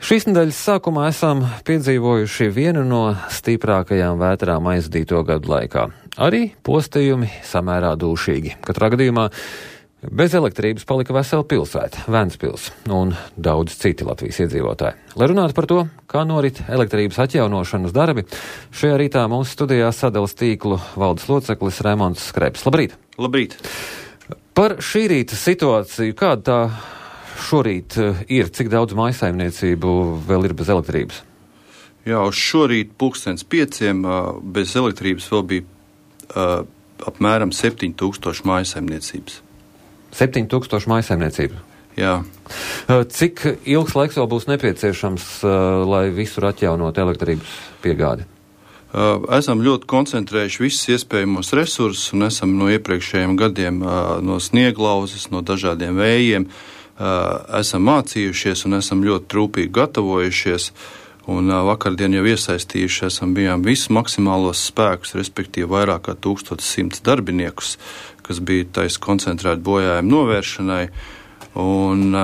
Šīs nedēļas sākumā esam piedzīvojuši vienu no stiprākajām vētrām aizdīto gadu laikā. Arī postījumi samērā dūšīgi. Katrā gadījumā bez elektrības palika vesela pilsēta, Ventspils, un daudz citi Latvijas iedzīvotāji. Lai runātu par to, kā norit elektrības atjaunošanas darbi, šajā rītā mūsu studijā sadales tīklu valdes loceklis Raimonds Skrebs. Labrīt! Labrīt! Par šī rīta situāciju, kāda tā šorīt ir, cik daudz mājsaimniecību vēl ir bez elektrības? Jā, uz šorīt 5:00 bez elektrības vēl bija apmēram 7000 mājsaimniecības. 7000 mājsaimniecību? Jā. Cik ilgs laiks vēl būs nepieciešams, lai visur atjaunot elektrības piegādi? Esam ļoti koncentrējuši visus iespējamos resursus un esam no iepriekšējiem gadiem no snieglauzes, no dažādiem vējiem, esam mācījušies un esam ļoti rūpīgi gatavojušies. Un vakardien jau iesaistījuši bijām visus maksimālos spēkus, respektīvi vairāk kā 1100 darbiniekus, kas bija taisa koncentrēti bojājumu novēršanai. Un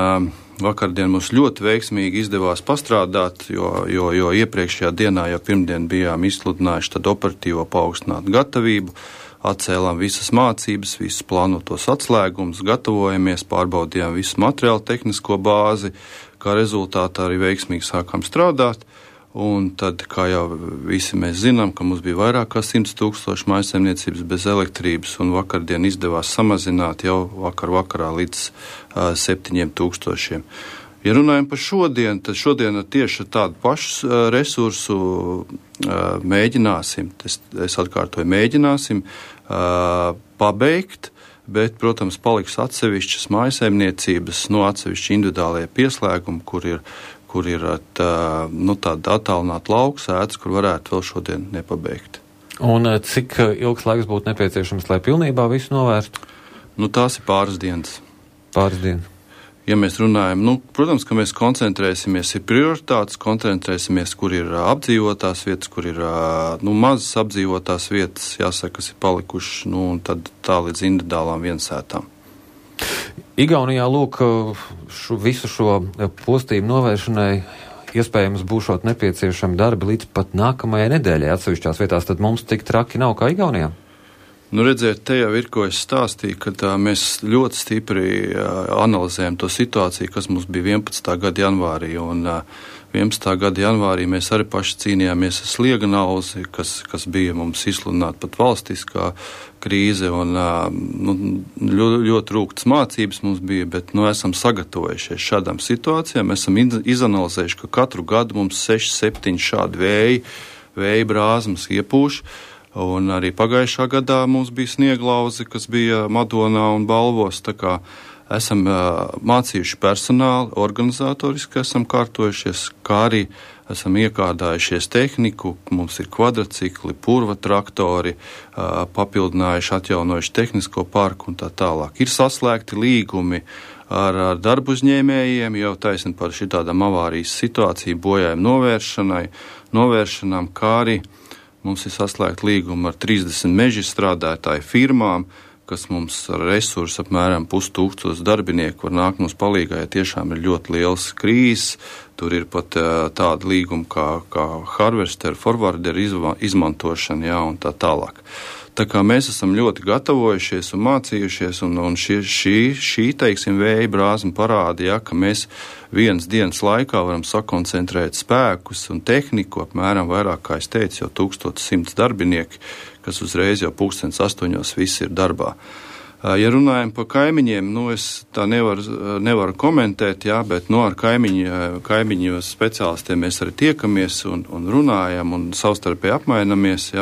vakardien mums ļoti veiksmīgi izdevās pastrādāt, jo iepriekšējā dienā, jau pirmdien bijām izsludinājuši tad operatīvo paaugstinātu gatavību, atcēlām visas mācības, visus plānotos atslēgumus, gatavojamies, pārbaudījām visu materiālu tehnisko bāzi, kā rezultātā arī veiksmīgi sākām strādāt. Un tad, kā jau visi mēs zinām, ka mums bija vairāk kā 100 000 mājsaimniecības bez elektrības, un vakardien izdevās samazināt jau vakarā līdz 7000. Ja runājam par šodien, tad šodien tieši tādu pašu resursu mēģināsim, es atkārtoju, mēģināsim pabeigt, bet, protams, paliks atsevišķas mājsaimniecības, atsevišķi individuālie pieslēgumi, kur ir tāda attālināta lauksētas, kur varētu vēl šodien nepabeigt. Un cik ilgs laiks būtu nepieciešams, lai pilnībā visu novērstu? Tās ir pāris dienas. Pāris dienas. Ja mēs runājam, protams, ka mēs koncentrēsimies, ir prioritātes, koncentrēsimies, kur ir apdzīvotās vietas, kur ir mazas apdzīvotās vietas, jāsaka, kas ir palikušas, un tad tā līdz individuālām viensētām. Igaunijā, visu šo postījumu novēršanai iespējams būšot nepieciešami darbi līdz pat nākamajai nedēļai atsevišķās vietās, tad mums tik traki nav kā Igaunijā? Redziet, te jau ir, ko es stāstīju, ka mēs ļoti stipri analizējam to situāciju, kas mums bija 11. gada janvārī, un 11. gada janvārī mēs arī paši cīnījāmies ar slieganauzi, kas bija mums izsludināta pat valstiskā krīze, un ļoti rūgtas mācības mums bija, bet esam sagatavojušies šādām situācijām, esam izanalizējuši, ka katru gadu mums 6-7 šādi vēja brāzmas iepūš. Un arī pagājušā gadā mums bija snieglauze, kas bija Madonā un Balvos. Tā kā esam mācījuši personāli, organizatoriski esam kārtojušies, kā arī esam iekārdājušies tehniku. Mums ir kvadrcikli, purva traktori, papildinājuši, atjaunojuši tehnisko parku un tā tālāk. Ir saslēgti līgumi ar darbu uzņēmējiem, jau taisni par šitādām avārijas situāciju bojājumu novēršanām, kā arī mums ir saslēgta līguma ar 30 meža strādātāju firmām, kas mums ar resursu apmēram 5000 darbinieku var nākt mums palīgā, ja tiešām ir ļoti liels krīzes. Tur ir pat tāda līguma kā harvester, forwarder izmantošana, un tā tālāk. Tā kā mēs esam ļoti gatavojušies un mācījušies, un šī teiksim, vēja brāzma parāda, ka mēs vienas dienas laikā varam sakoncentrēt spēkus un tehniku, apmēram vairāk, kā es teicu, jau 1100 darbinieki, kas uzreiz jau 8:00 visi ir darbā. Ja runājam par kaimiņiem, es tā nevaru komentēt, bet ar kaimiņu speciālistiem mēs arī tiekamies un runājam un savstarpēji apmainamies,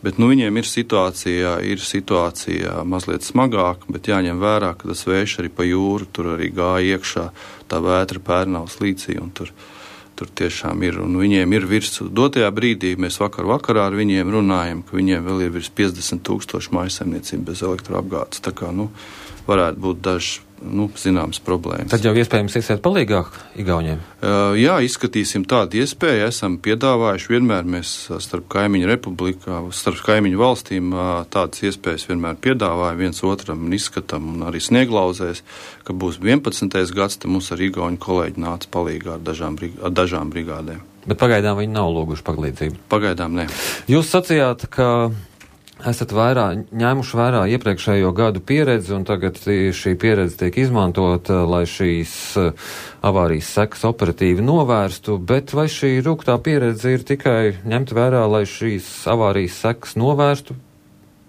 bet viņiem ir situācija mazliet smagāka, bet jāņem vērā, ka tas vējš arī pa jūru, tur arī gāja iekšā tā vētra Pērnavas līcī, un tur tiešām ir, un viņiem ir dotajā brīdī, mēs vakarā ar viņiem runājam, ka viņiem vēl ir virs 50 000 mājsaimniecību bez elektroapgādes. Tā kā, varētu būt dažs zināmas problēmas. Tad jau iespējams iesiet palīgāk Igauniem? Jā, izskatīsim tādu iespēju. Esam piedāvājuši vienmēr mēs starp kaimiņu republikā, starp kaimiņu valstīm tādas iespējas vienmēr piedāvājam viens otram un izskatām un arī Snieglauzēs, ka būs 11. gads, tad mums ar igauņu kolēģi nāca palīgā ar dažām brigādēm. Bet pagaidām viņi nav lūguši palīdzību? Pagaidām ne. Jūs sacījāt, ka esat ņēmuši vērā iepriekšējo gadu pieredzi, un tagad šī pieredze tiek izmantota, lai šīs avārijas sekas operatīvi novērstu, bet vai šī rūgtā pieredze ir tikai ņemt vērā, lai šīs avārijas sekas novērstu,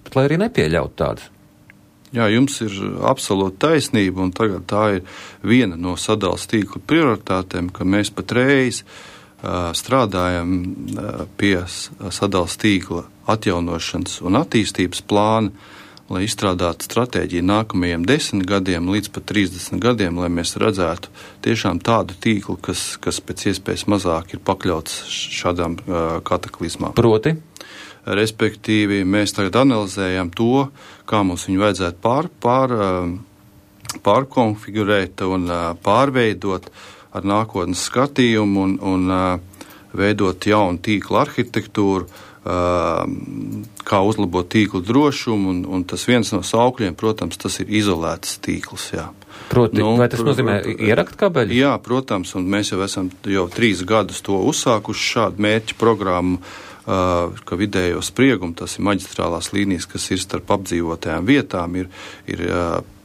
bet lai arī nepieļautu tādas? Jā, jums ir absolūta taisnība, un tagad tā ir viena no sadales tīkla prioritātēm, ka mēs patreiz strādājam pie sadales tīkla atjaunošanas un attīstības plāna, lai izstrādātu stratēģiju nākamajiem 10 gadiem līdz pat 30 gadiem, lai mēs redzētu tiešām tādu tīklu, kas pēc iespējas mazāk ir pakļauts šādām kataklizmām. Proti? Respektīvi, mēs tagad analizējam to, kā mums viņu vajadzētu pārkonfigurēt un pārveidot ar nākotnes skatījumu un veidot jaunu tīkla arhitektūru, kā uzlabot tīklu drošumu, un tas viens no saukļiem, protams, tas ir izolēts tīkls, jā. Proti, vai tas nozīmē ierakt kabeļu? Jā, protams, un mēs jau esam 3 gadus to uzsākuši šādu mērķu programmu, ka vidējo spriegumu, tas ir maģistrālās līnijas, kas ir starp apdzīvotajām vietām, ir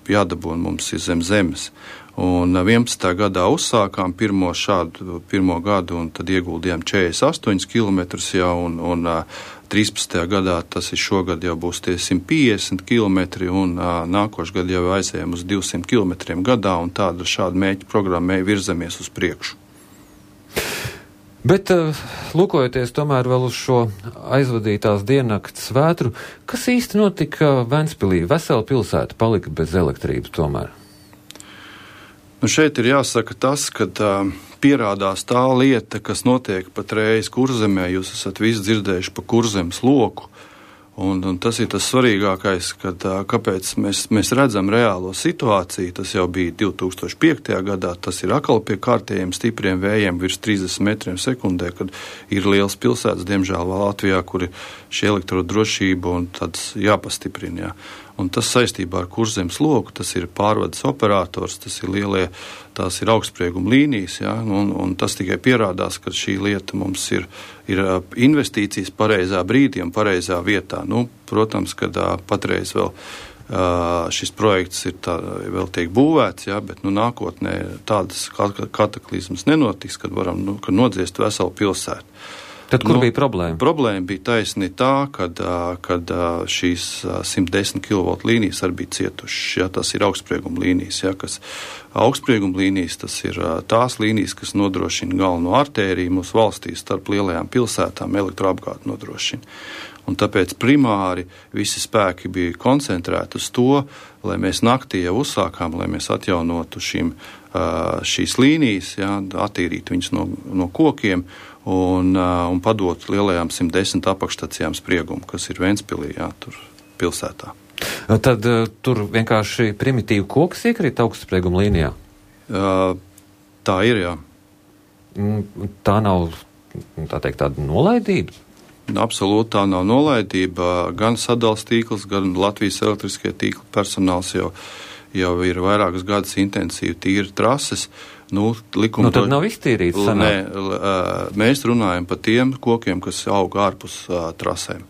jādabūna mums ir zem zemes. Un 11. gadā uzsākām pirmo gadu, un tad ieguldījām 48 km jau, un 13. gadā, tas ir šogad jau būs tie 150 km, un nākošais gadu jau aizējām uz 200 km gadā, un tāda šāda mērķa programmē virzamies uz priekšu. Bet, lūkojoties tomēr vēl uz šo aizvadītās diennakts vētru, kas īsti notika Ventspilī? Vesela pilsēta palika bez elektrības tomēr. Šeit ir jāsaka tas, ka pierādās tā lieta, kas notiek patreiz Kurzemē. Jūs esat visi dzirdējuši pa Kurzemes loku, un tas ir tas svarīgākais, kāpēc mēs redzam reālo situāciju. Tas jau bija 2005. gadā, tas ir atkal pie kārtējiem stipriem vējiem virs 30 metriem sekundē, kad ir liels pilsētas, diemžēl Latvijā, kur ir šī elektrodrošība un tāds jāpastiprina. Jā. Un tas saistībā ar Kurzemes loku, tas ir pārvades operators, tās ir augstsprieguma līnijas, ja, un tas tikai pierādās, ka šī lieta mums ir investīcijas pareizā brīdī un pareizā vietā. Protams, ka patreiz vēl šis projekts vēl tiek būvēts, ja, bet nākotnē tādas kataklizmas nenotiks, kad varam nodziest veselu pilsētu. Tad kur bija problēma? Problēma bija taisni tā, kad šīs 110 kV līnijas arī bija cietušas. Ja, tas ir augstsprieguma līnijas. Ja, augstsprieguma līnijas, tas ir tās līnijas, kas nodrošina galveno artēriju mūsu valstī starp lielajām pilsētām, elektroapgādi nodrošina. Un tāpēc primāri visi spēki bija koncentrēti uz to, lai mēs naktī jau uzsākām, lai mēs atjaunotu šīs līnijas, ja, attīrītu viņas no kokiem un padot lielajām 110 apakšstacijām spriegumu, kas ir Ventspilī, jā, tur pilsētā. Tad tur vienkārši primitīvi koks iekrīt augstsprieguma līnijā? Tā ir, jā. Tā nav, tā teikt, tāda nolaidība? Absolūti tā nav nolaidība. Gan sadales tīkls, gan Latvijas elektriskie tīkla personāls jau ir vairākus gadus intensīvi tīri trases. Tad nav iztīrīts. Mēs runājam par tiem kokiem, kas aug ārpus trasēm.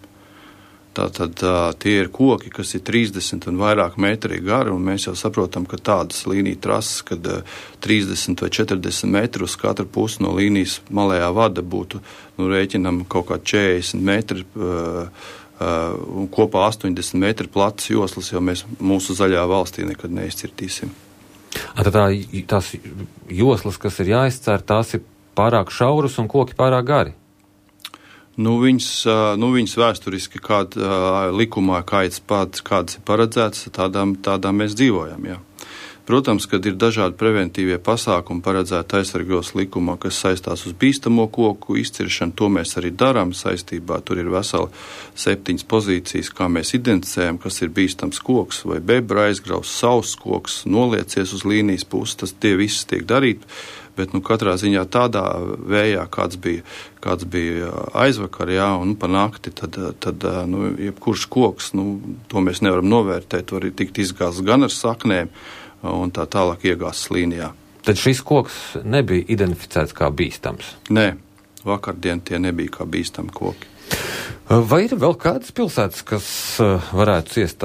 Tātad tie ir koki, kas ir 30 un vairāk metri gari, un mēs jau saprotam, ka tādas līnija trases, kad 30 vai 40 metri uz katru pusi no līnijas malējā vada būtu, rēķinam kaut kā 40 metri, un kopā 80 metri platas joslas, jo mēs mūsu zaļā valstī nekad neizcirtīsim. Tad tās joslas, kas ir jāizcer, tās ir pārāk šauras un koki pārāk gari? Viņas vēsturiski likumā kādas ir paredzētas, tādām mēs dzīvojam, jā. Protams, kad ir dažādi preventīvie pasākumi paredzēti aizsargos likumā, kas saistās uz bīstamo koku izciršanu, to mēs arī darām saistībā. Tur ir veseli 7 pozīcijas, kā mēs identificējam, kas ir bīstams koks, vai bebra aizgraus, sauss koks, noliecies uz līnijas puses, tas tie visi tiek darīt, bet katrā ziņā tādā vējā, kāds bija aizvakar, un pa nakti, tad jebkurš koks, to mēs nevaram novērtēt, var tikt izgāsts gan ar saknēm, un tā tālāk iegāztas līnijā. Tad šis koks nebija identificēts kā bīstams? Nē, vakardien tie nebija kā bīstami koki. Vai ir vēl kādas pilsētas, kas varētu ciest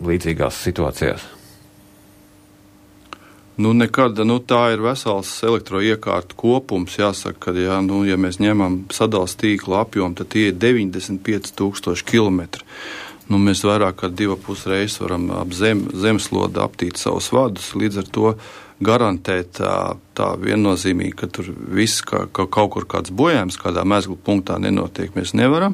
līdzīgās situācijās? Nekad, tā ir vesels elektroiekārtu kopums, jāsaka, ka, ja mēs ņemam sadales tīklu apjomu, tad tie ir 95,000 kilometri. Mēs vairāk kā 2,5 reizes varam ap zemeslodu aptīt savus vadus, līdz ar to garantēt tā viennozīmīgi, ka tur viss, ka kaut kur kāds bojājums kādā mezglu punktā nenotiek, mēs nevaram,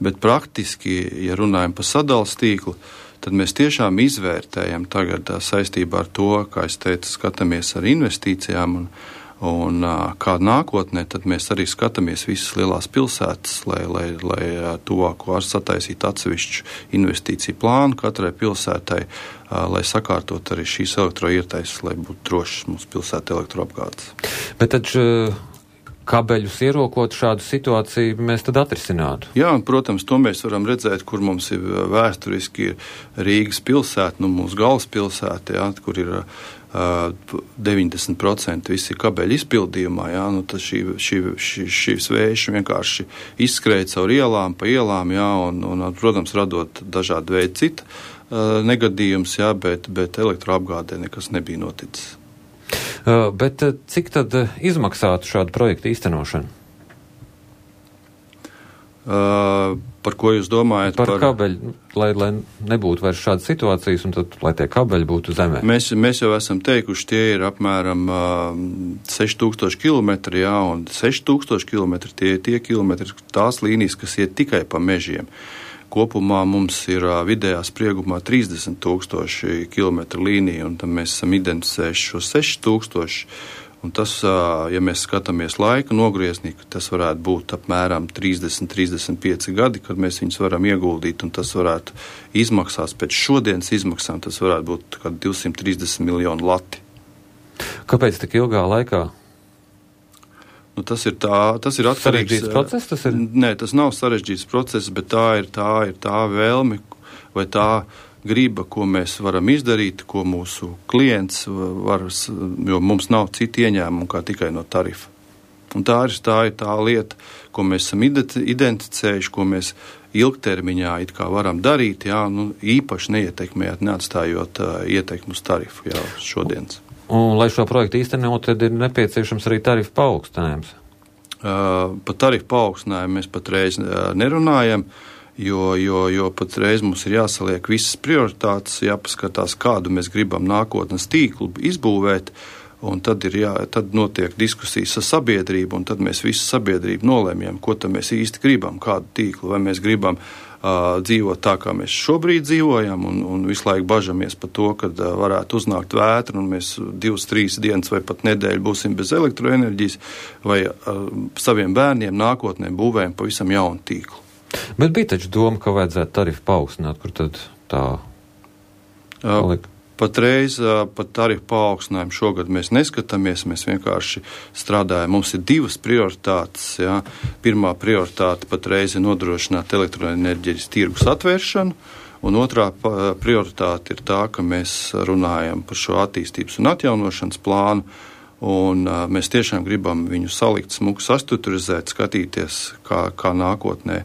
bet praktiski, ja runājam par sadales tīklu, tad mēs tiešām izvērtējam tagad saistībā ar to, kā es teicu, skatāmies ar investīcijām un kā nākotnē, tad mēs arī skatāmies visas lielās pilsētas, lai tuvāko sataisītu atsevišķu investīciju plānu katrai pilsētai, lai sakārtot arī šīs elektroietaises, lai būtu drošas mūsu pilsēta elektroapgādes. Bet taču kabeļus ierokot šādu situāciju mēs tad atrisinātu? Jā, un, protams, to mēs varam redzēt, kur mums ir vēsturiski Rīgas pilsēta, mūsu galvaspilsēta, kur ir 90% visi kabeļi izpildījumā, tad šīs vējš vienkārši izskrēja caur ielām, pa ielām, un, protams, radot dažādu veidu citu negadījumus, bet elektroapgādē nekas nebija noticis. Bet cik tad izmaksātu šādu projektu īstenošanu? Par ko jūs domājat? Par kabeļu, lai nebūtu vairs šādas situācijas, un tad, lai tie kabeļi būtu zemē. Mēs jau esam teikuši, tie ir apmēram 6,000 kilometri, un 6,000 kilometri tie kilometri, tās līnijas, kas iet tikai pa mežiem. Kopumā mums ir vidējā spriegumā 30,000 kilometru līnija, un tam mēs esam identificējuši šo 6,000. Un tas, ja mēs skatāmies laika nogrieznī, tas varētu būt apmēram 30-35 gadi, kad mēs viņus varam ieguldīt, un tas varētu izmaksās pēc šodienas izmaksām, tas varētu būt kā 230 miljonu lati. Kāpēc tik ilgā laikā? Tas ir atkarīgs. Sarežģīts process tas ir? Nē, tas nav sarežģīts process, bet tā ir tā vēlme vai tā griba, ko mēs varam izdarīt, ko mūsu klients var, jo mums nav citu ieņēmumu kā tikai no tarifa. Un tā ir tā lieta, ko mēs esam identificējuši, ko mēs ilgtermiņā it kā varam darīt, īpaši neietekmējot, neatstājot ietekmu uz tarifu šodienas. Un, lai šo projektu īstenot, tad ir nepieciešams arī tarifu paaugstinājums. Par tarifu paaugstinājumu mēs patreiz nerunājam, jo patreiz mums ir jāsaliek visas prioritātes, jāpaskatās, kādu mēs gribam nākotnes tīklu izbūvēt, un tad notiek diskusijas ar sabiedrību, un tad mēs visu sabiedrību nolēmjam, ko tad mēs īsti gribam, kādu tīklu, vai mēs gribam dzīvot tā, kā mēs šobrīd dzīvojam, un visu laiku bažamies par to, kad varētu uznākt vētra, un mēs 2-3 dienas vai pat nedēļu būsim bez elektroenerģijas, vai saviem bērniem nākotnē būvējam pavisam jaunu tīklu. Bet bija taču doma, ka vajadzētu tarifu paaugstināt, kur tad tā palika? Patreiz par tarifu paaugstinājumu šogad mēs neskatāmies, mēs vienkārši strādājam. Mums ir divas prioritātes. Pirmā prioritāte patreiz ir nodrošināt elektroenerģijas tirgus atvēršanu, un otrā prioritāte ir tā, ka mēs runājam par šo attīstības un atjaunošanas plānu, un mēs tiešām gribam viņu salikt, smuku sastruktūrizēt, skatīties, kā nākotnē,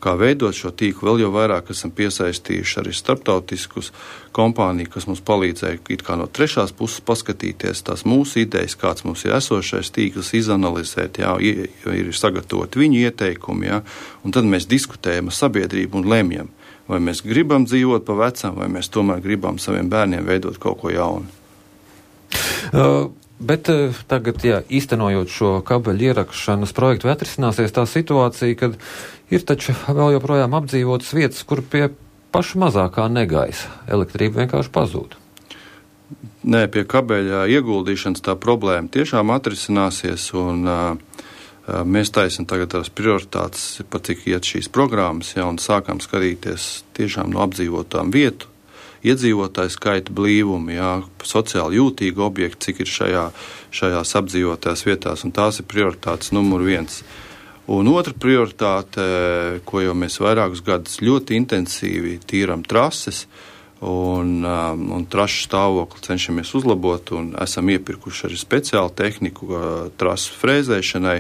kā veidot šo tīklu. Vēl jau vairāk esam piesaistījuši arī starptautiskus kompāniju, kas mums palīdzēja it kā no trešās puses paskatīties tās mūsu idejas, kāds mums ir esošais tīkls, izanalizēt, ir sagatavot viņu ieteikumi, un tad mēs diskutējam ar sabiedrību un lemjam, vai mēs gribam dzīvot pa vecam, vai mēs tomēr gribam saviem bērniem veidot kaut ko jaunu. Bet tagad, īstenojot šo kabeļu ierakšanas projektu, atrisināsies tā situācija, kad ir taču vēl joprojām apdzīvotas vietas, kur pie paša mazākā negaisa elektrība vienkārši pazūd. Nē, pie kabeļa ieguldīšanas tā problēma tiešām atrisināsies, un mēs taisam tagad tās prioritātes, pat cik iet šīs programmas, ja, un sākam skatīties tiešām no apdzīvotām vietu, iedzīvotāju skaita blīvumu, ja, sociāli jūtīgi objekti, cik ir šajās apdzīvotās vietās, un tās ir prioritātes numur 1. Un otra prioritāte, ko jau mēs vairākus gadus ļoti intensīvi tīram trases, un trašu stāvokli cenšamies uzlabot, un esam iepirkuši arī speciālu tehniku trasu frēzēšanai.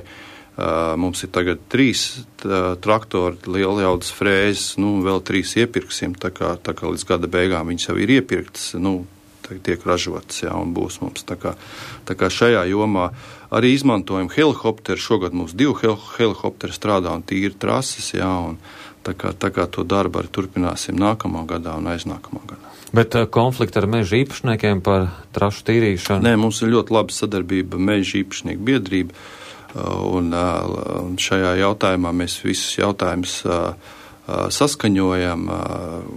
Mums ir tagad 3 traktori, lielajaudas frēzes, vēl 3 iepirksim, tā kā līdz gada beigām viņas jau ir iepirktas, tiek ražotas, jā, un būs mums. Tā kā šajā jomā arī izmantojam helikopteru. Šogad mums 2 helikopteri strādā un tīri trases, jā, un tā kā to darbu arī turpināsim nākamā gadā un aiznākamā gadā. Bet konflikti ar meža īpašniekiem par trašu tīrīšanu? Nē, mums ir ļoti laba sadarbība meža īpašnieku biedrība, un šajā jautājumā mēs visus jautājumus saskaņojam,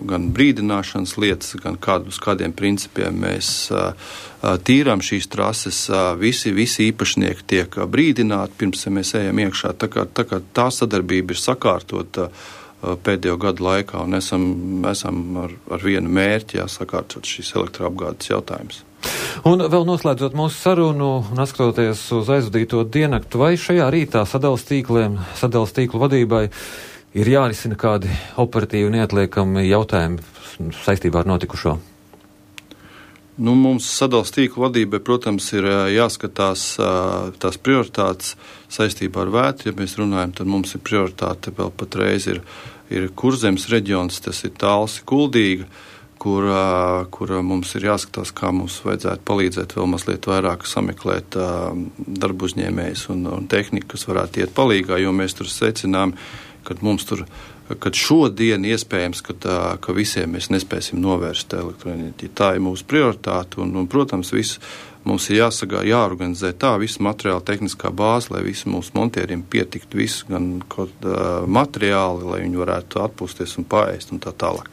gan brīdināšanas lietas, gan uz kādiem principiem mēs tīrām šīs trases. Visi īpašnieki tiek brīdināti, pirms mēs ejam iekšā. Tā kā tā sadarbība ir sakārtota pēdējo gadu laikā, un esam ar vienu mērķi sakārtot šīs elektroapgādes jautājumus. Un vēl noslēdzot mūsu sarunu un atskatoties uz aizvadīto diennakti, vai šajā rītā sadales tīklu vadībai ir jārisina kādi operatīvi neatliekami jautājumi saistībā ar notikušo? Mums sadales tīklu vadībai, protams, ir jāskatās tās prioritātes saistībā ar vētru. Ja mēs runājam, tad mums ir prioritāte vēl patreiz ir Kurzemes reģions, tas ir Talsi, Kuldīga, kur mums ir jāskatās, kā mums vajadzētu palīdzēt vēl mazliet vairāk sameklēt darbu uzņēmējus un tehniku, kas varētu iet palīgā, jo mēs tur secinām, kad šodien iespējams, ka visiem mēs nespēsim novērst elektroenerģiju. Tā ir mūsu prioritāte, un protams, mums ir jāorganizē tā visa materiāla tehniskā bāze, lai visi mūsu montieriem pietiktu visu, gan materiāli, lai viņi varētu atpūsties un paēst un tā tālāk.